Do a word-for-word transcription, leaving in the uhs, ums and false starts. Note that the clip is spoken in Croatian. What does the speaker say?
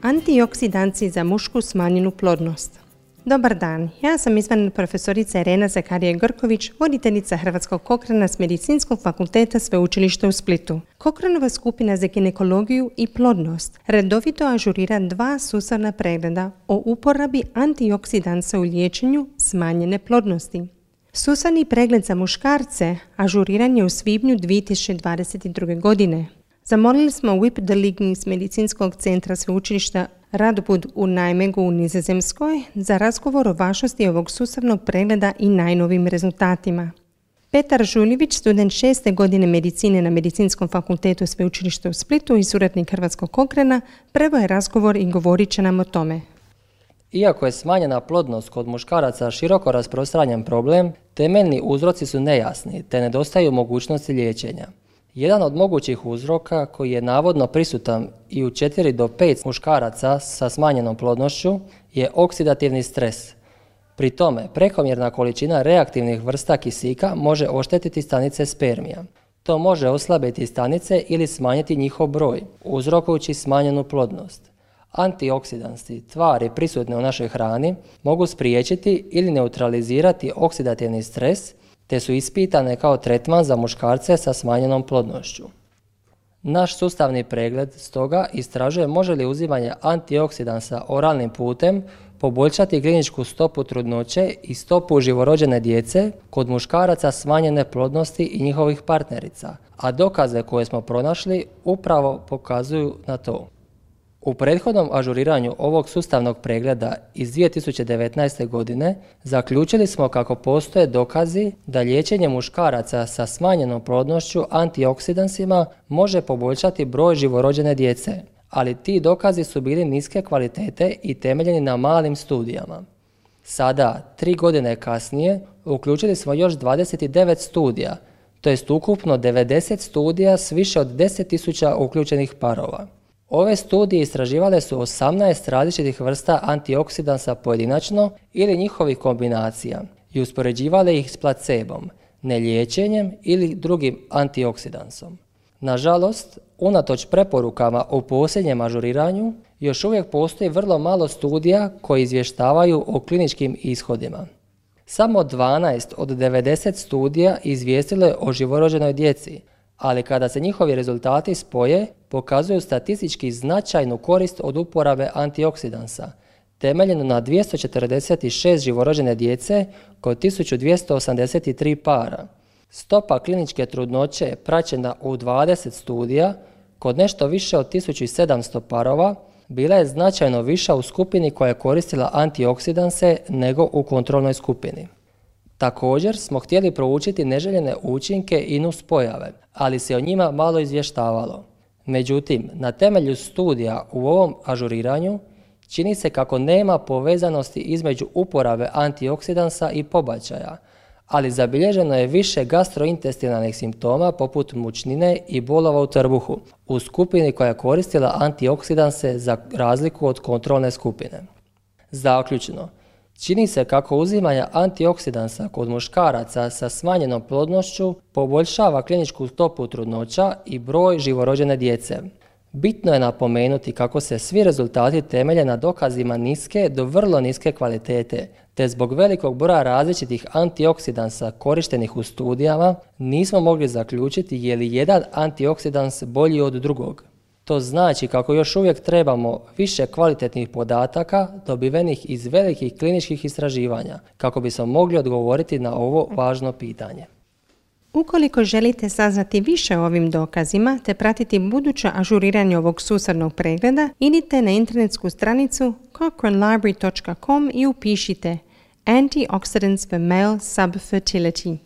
Antioksidanci za mušku smanjenu plodnost. Dobar dan, ja sam izvanredna profesorica Irena Zakarije-Grković, voditeljica Hrvatskog Kokhrana s Medicinskog fakulteta Sveučilišta u Splitu. Kokhranova skupina za ginekologiju i plodnost redovito ažurira dva sustavna pregleda o uporabi antioksidansa u liječenju smanjene plodnosti. Sustavni pregled za muškarce ažuriran je u svibnju dvije tisuće dvadeset druge. godine. Zamolili smo Wip de Ligny iz Medicinskog centra Sveučilišta Radboud u Nijmegu u Nizozemskoj za razgovor o važnosti ovog sustavnog pregleda i najnovim rezultatima. Petar Žuljević, student šeste godine medicine na Medicinskom fakultetu Sveučilišta u Splitu i suradnik Hrvatskog Kokhrana, prvo je razgovor i govorit će nam o tome. Iako je smanjena plodnost kod muškaraca široko rasprostranjen problem, temeljni uzroci su nejasni te nedostaju mogućnosti liječenja. Jedan od mogućih uzroka koji je navodno prisutan i u četiri do pet muškaraca sa smanjenom plodnošću je oksidativni stres. Pri tome, prekomjerna količina reaktivnih vrsta kisika može oštetiti stanice spermija. To može oslabiti stanice ili smanjiti njihov broj, uzrokujući smanjenu plodnost. Antioksidansi, tvari prisutne u našoj hrani, mogu spriječiti ili neutralizirati oksidativni stres, te su ispitane kao tretman za muškarce sa smanjenom plodnošću. Naš sustavni pregled stoga istražuje može li uzimanje antioksidansa oralnim putem poboljšati kliničku stopu trudnoće i stopu živorođene djece kod muškaraca smanjene plodnosti i njihovih partnerica, a dokaze koje smo pronašli upravo pokazuju na to. U prethodnom ažuriranju ovog sustavnog pregleda iz dvije tisuće devetnaeste. godine zaključili smo kako postoje dokazi da liječenje muškaraca sa smanjenom plodnošću antioksidansima može poboljšati broj živorođene djece, ali ti dokazi su bili niske kvalitete i temeljeni na malim studijama. Sada, tri godine kasnije, uključili smo još dvadeset devet studija, to jest ukupno devedeset studija s više od deset tisuća uključenih parova. Ove studije istraživale su osamnaest različitih vrsta antioksidansa pojedinačno ili njihovih kombinacija i uspoređivale ih s placebom, neliječenjem ili drugim antioksidansom. Nažalost, unatoč preporukama u posljednjem ažuriranju, još uvijek postoji vrlo malo studija koji izvještavaju o kliničkim ishodima. Samo dvanaest od devedeset studija izvijestilo je o živorođenoj djeci, ali kada se njihovi rezultati spoje, pokazuju statistički značajnu korist od uporabe antioksidansa, temeljeno na dvjesto četrdeset šest živorođene djece kod tisuću dvjesto osamdeset tri para. Stopa kliničke trudnoće praćena u dvadeset studija kod nešto više od tisuću sedamsto parova bila je značajno viša u skupini koja je koristila antioksidanse nego u kontrolnoj skupini. Također smo htjeli proučiti neželjene učinke i nuspojave, ali se o njima malo izvještavalo. Međutim, na temelju studija u ovom ažuriranju čini se kako nema povezanosti između uporabe antioksidansa i pobačaja, ali zabilježeno je više gastrointestinalnih simptoma poput mučnine i bolova u trbuhu u skupini koja je koristila antioksidanse za razliku od kontrolne skupine. Zaključno, čini se kako uzimanje antioksidansa kod muškaraca sa smanjenom plodnošću poboljšava kliničku stopu trudnoća i broj živorođene djece. Bitno je napomenuti kako se svi rezultati temelje na dokazima niske do vrlo niske kvalitete, te zbog velikog broja različitih antioksidansa korištenih u studijama nismo mogli zaključiti je li jedan antioksidans bolji od drugog. To znači kako još uvijek trebamo više kvalitetnih podataka dobivenih iz velikih kliničkih istraživanja kako bismo mogli odgovoriti na ovo važno pitanje. Ukoliko želite saznati više o ovim dokazima te pratiti buduće ažuriranje ovog sustavnog pregleda, idite na internetsku stranicu cochrane library dot com i upišite Antioxidants for Male Subfertility.